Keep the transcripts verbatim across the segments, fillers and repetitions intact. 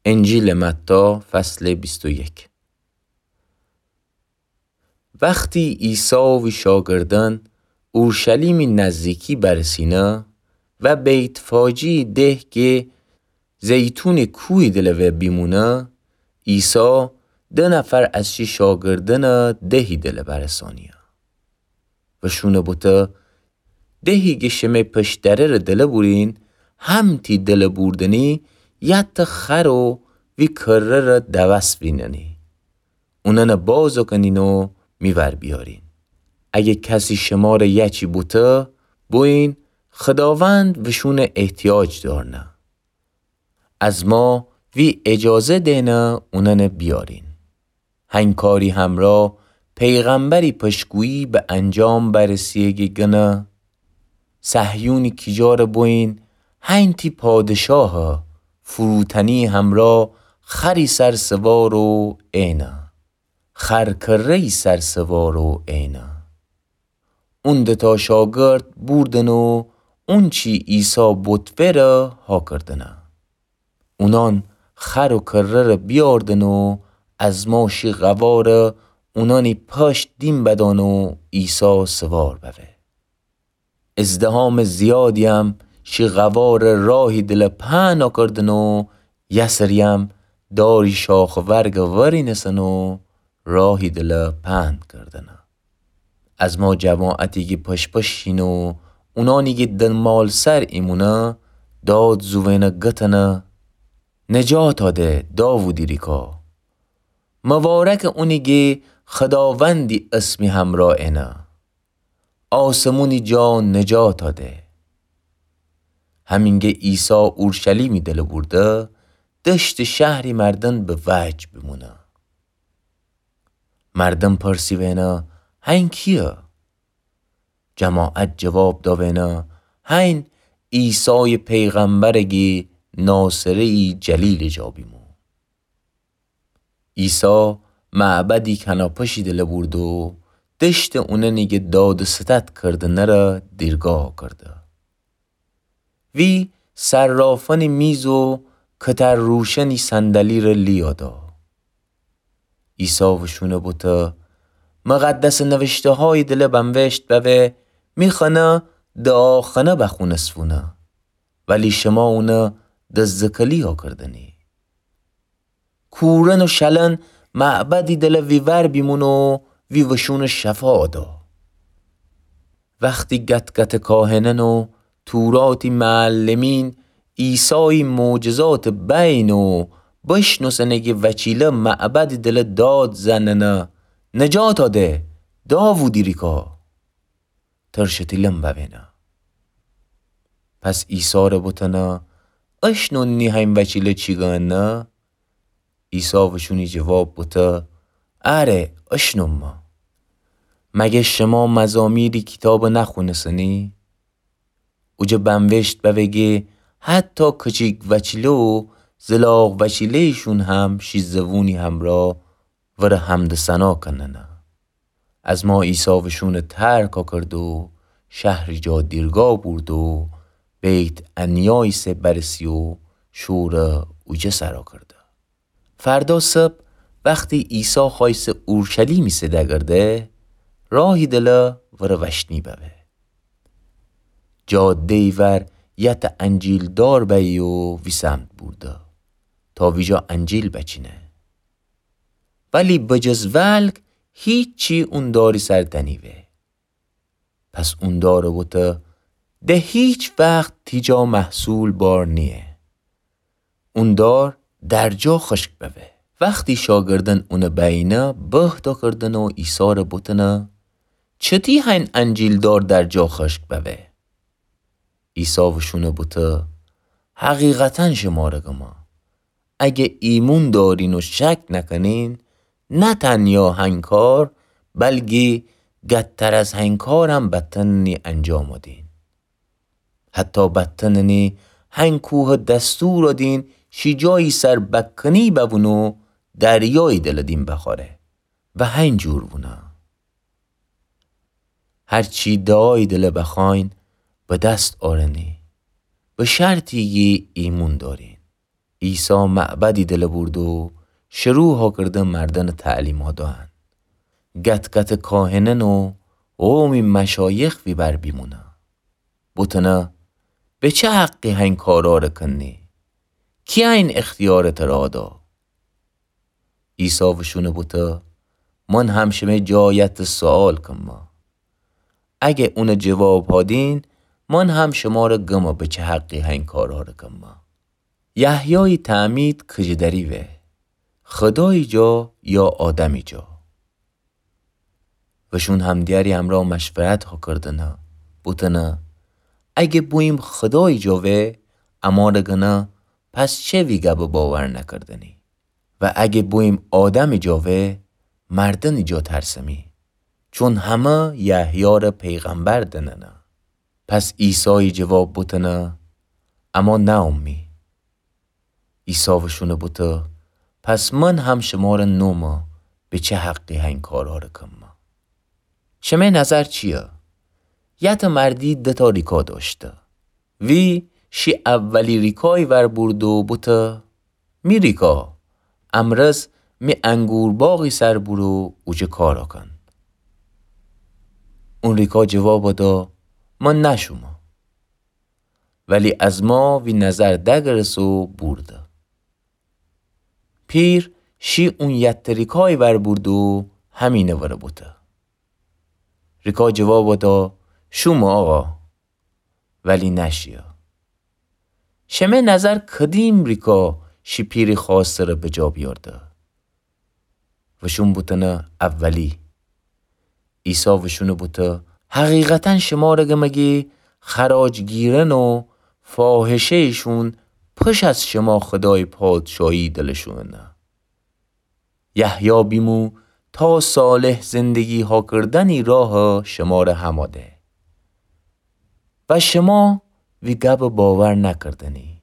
انجیلٚ متی، فصلٚ بیست و یک. وختی عیسی و شاگردأن اورشلیمی نزدیکی برسینه و بیت‌فاجه‌یی ده کی زیتونٚ کوهی دلٚ وأ بیمونه، عیسی ده نفر از شی شاگردأنَ دهی دلٚ برسانیه و شونَ بوته: دهی کی شمه پشت‌دره‌ره دلٚ بورین، همتی دلٚ بوردنی یه ته خر و وی کره‌ره دوس ویننی. اونأنَ باز کنین و می ور بیارین. اگه کسی شمره یه چی بوته، بویین خداوند وشونٚ احتیاج دارنه. از ما وی اجازه دئنه اونأنَ بیارین. هنکاری همرأ پیغمبری پشتگویی به انجام برسیه کی گنه: صهیونی کیجارَ بویین، هنتی پادشاهٚ فروتنی همرأ خری سر سوار و اینه. خر کره‌یی سر سوار و اینه. اون دوتا شاگرد بوردن و اونچی عیسی بوتوره هاکردنه. اونأن خر و کره‌ره بیاردن و از ما شی قوارَ اونأنی پشت دیم بدأن و عیسی سوار بوه. ازدحامٚ زیادی‌یم شی قوارَ راهی دلٚ پهن آکردن و یه سری‌یم داری شاخ و ورگَ ورینسن و راهی دلٚ پهن کردنه. از ما جماعتی کی پشپشین و اونأنی کی دنمالسر ایمونه داد زووینه گتنه: نجاتا ده، داوودی ریکا! مبارکٚ اونی کی خداوندی اسمی همرأ اینه! آسمونی جا نجاتا ده! همینگه عیسی اورشلیمی دلٚ بورده، دشتٚ شهری مردن به وجه بیمونه. مردن پرسیوینه: هین کیه؟ جماعت جواب داوینه: هین عیسایٚ پیغمبره کی ناصره‌یی جلیلٚ جا بیمو. عیسی معبدی کناپشی دلٚ بورده و دشتٚ اونأنی کی داد و ستد کردنه‌ره دیرگاه کرده. وی صرافأنی میز و کتر روشنی صندلی‌ره لیادا. عیسی وشونَ بوته: مقدسٚ نوشته‌هایی دلٚ بنوشت بوه: می خانه دعاخانه بخونسوونه، ولی شما اونَ دزدکلی آکردنی. کورأن و شلأن معبدی دلٚ ویور بیمون و وی وشونٚ شفا دا. وختی گت‌گتٚ کاهنأن و توراتی معلمین عیسایٚ معجزاتٚ بینه و بشنوسنه کی وچیله معبدٚ دلٚ داد زننه: نجاتا ده، داوودی ریکا! ترشٚ تیلم بوینه. پس عیسی‌ره بوتنه: اشنونی هین وچیله چی گأنه؟ عیسی وشونی جواب بوته: اره، اشنومه. مگه شما مزامیرٚ کیتابَ نخونسنی؟ اوجه بنوشت بوه کی حتی کچیک وچیله و زلاغ وچیله‌یشون هم شی زبونی همرأ ورأ حمد و ثنا کننه. از ما عیسی وشونٚ ترک آکرد و شهری جا دیرگاه بورد و بیت‌عنیایی سر برسی و شورَ اوجه سر آکرده. فردا صبح وختی عیسی خوأیسه اورشلیمی سر دگرده، راهی دلٚ ورأ وشنی بوه. جاده‌یی ور یه ته انجیل‌دار بأیی و وی سمت بورده تا ویجا انجیل بچینه. ولی بجز ولگ هیچی اون داری سر دنیوه. پس اون دارَ بوته: ده هیچ وخت تی جا محصول بار نییه. اون دار در جا خشک بوه. وختی شاگردأن اونَ بأیینه بهت آکردن و عیسی‌ره بوتنه: چتی هین انجیل‌دار در جا خشک بوه؟ عیسی وشونَ بوته: حقیقتاً شمرَ گمه، اگه ایمون دارین و شک نکنین، نه تنیا هین کار، بلکی گتر از هین کارم بتأنین انجام بدین. حتی بتأنین هین کوهَ دستور دین شی جایی سر بکنی ببونه و دریایی دلٚ دین بخوأره و هین جور بونه. هرچی دعایی دلٚ بخوأین به دست آرنی، به شرطی کی ایمون دارین. عیسی معبدی دلٚ بورد و شروع هاکرده مردنٚ تعلیما دأن. گت‌گتٚ کاهنأن و قومی مشایخ ویبأر بیمونأ. بوتنه، به چه حقی هین کارارٚ کنی؟ کی هین اختیارٚ ترا دا؟ عیسی وشونٚ بوته، من هم شمه جا یتٚ سؤال کمه. اگه اونٚ جواب هادین، من هم شمارٚ گمه به چه حقی هین کارارٚ کمه. یحیایٚ تعمید کجٚ دری وه، خودایٚ جا یا آدمٚ جا؟ وشون همدیگری امرأ مشورت هاکردنه، بوتنه، اگه بوییم خودایٚ جا وه، امرأ گنه، پس چه وی گبٚ باور نکردنی؟ و اگه بوییم آدمٚ جا وه، مردنٚ جا ترسمی، چون همه یحیارٚ پیغمبر دننه. پس عیسایٚ جواب بوتنه، اما ناامی. عیسی وشونٚ بوته، پس من هم شمارٚ نومه به چه حقی هین کارارٚ کمه؟ شمه نظر چیه؟ یتٚ مردی دو تا ریکا دأشته. وی شی اولی ریکایٚ ور بورد و بوته، می ریکا، امرس می انگور باغی سر برو اوجه کار کن. اون ریکا جواب دا، من نشومه. ولی از ما وی نظر دگرس و بورده. پیر شی اون یتٚ ریکایٚ ور بورد و همینٚ وره بوته. ریکا جواب دا، شومه آقا. ولی نشیه. شمه نظر کدیم ریکا شی پیری خوأسته ره بجا بیارده؟ وشون بوتنه اولی. عیسی وشونٚ بوته، حقیقتا شمارٚ گمه کی خراجگیرأن و فاحشه‌یشون پش از شما خودایٚ پادشاهی دلشوننه. یحیی بیمو تا صالح زندگی هاکردنی راه شمارٚ همأ ده. و شما وی گبٚ باور نکردنی.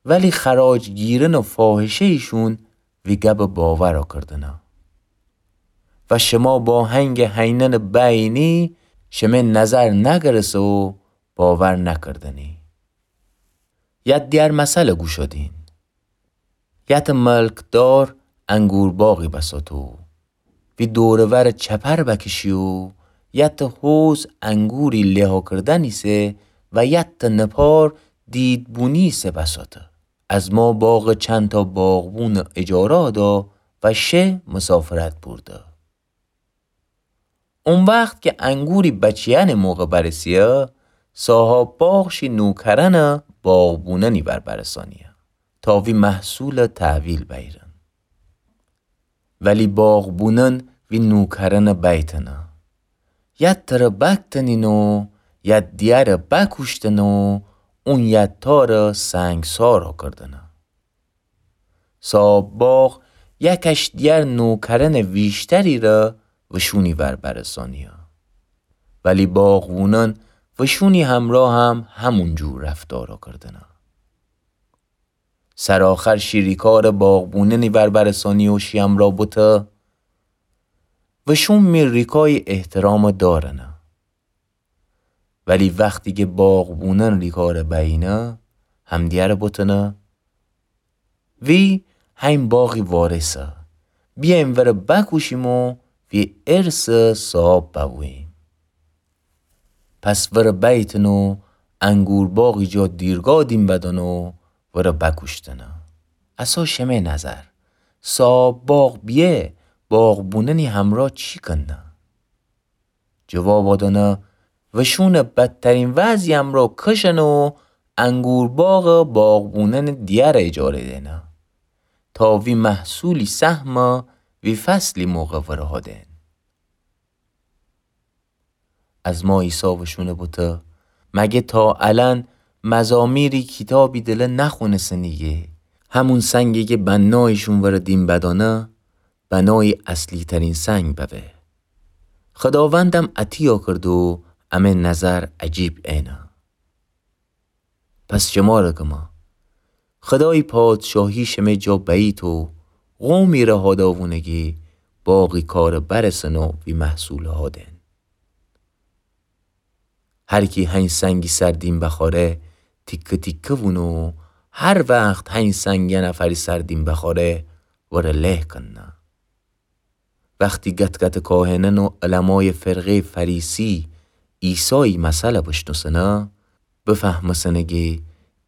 ولی خراجگیرأن و فاحشه‌یشون وی گبٚ باور کردنه. و شما با هنگٚ هینأنٚ بینی شمه نظر نگرسه و باور نکردنی. یتٚ دیگر مثل گوش دین. یتٚ ملکدار انگور باغی بساتو. وی دور و ور چپر بکشی و یتٚ حوض انگوری له کردنی سه و یتٚ نپار دید بونی سه بساته. از ما باغٚ چند تا باغبونٚ اجاره دا و شه مسافرت بورده. او وخت کی انگوری بچیأنٚ موقع برسیه، صاحاب باغ شی نوکرأنٚ باغبونأنی ور برسانیه تا وی محصولٚ تحویل بیرن. ولی باغبونأن وی نوکرأنٚ بیتنه. یتٚ تره بکتنین و یتٚ دیگره بکوشتنه و اون یتٚ تاره سنگسار کردنه. صاحاب باغ یکش دیگر نوکرأنٚ ویشتری ره وشونی ور برسانیه. ولی باغبونأن وشونی همراه هم همون جور رفتار کردنه. سرآخر شی ریکارٚ باغبونأنی ور برسانی و شی همراه بوته، وشون می ریکایٚ احترام دارنه. ولی وختی کی باغبونأن ریکاره بینه، همدیگره بوتنه، وی هین باغی وارثه. بیایم وره بکوشیم و وی ارثٚ صاحاب ببوییم. پس وره بیتن و انگور باغی جا دیرگاه دیم بدن و وره بکوشتنه. اسه شمه نظر، صاحاب باغ بیه، باغبونأنی همراه چی کنه؟ جواب دانه، وشونه بدترین وضعی همراه کشنه و انگور باغٚ باغبونأنٚ دیگره اجاره دینه تا وی محصولی سهمه وی فصلی موقع وره هادن. از ما عیسی وشونه بوته، مگه تا الأن مزامیری کیتابی دله نخوأنستنی کی همون سنگی کی بنایشون وره دیم بدانه، بنایی اصلی‌ترین سنگ ببه؟ خداوندم اطیعا کرد و امه نظر عجیب اینه. پس شماره گمه، خدایی پادشاهی شمه جا بأییت و قومی ره هاداوونه کی باغی کاره برسن و وی محصوله هادن. هر کی هین سنگی سر دیم بخواره، تیکه تیکه وونه و هر وخت هنی سنگ یه نفری سر دیم بخوأره، وره له کنه. وختی گت‌گتٚ کاهنأن و علمایٚ فرقه‌یٚ فریسی عیسایی مثلَ بشنوسنه، بفهمسنه گه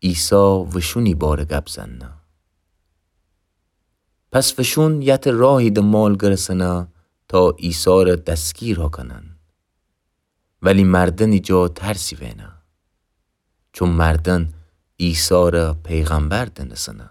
عیسی وشونی باره گب زنه. پس وشون یتٚ راهی دمال گرسنه تا عیسی‌ره دستگیرَ کنن. ولی مردنی جا ترسی وینه. چون مردن عیسی‌ره پیغمبر دنسنه.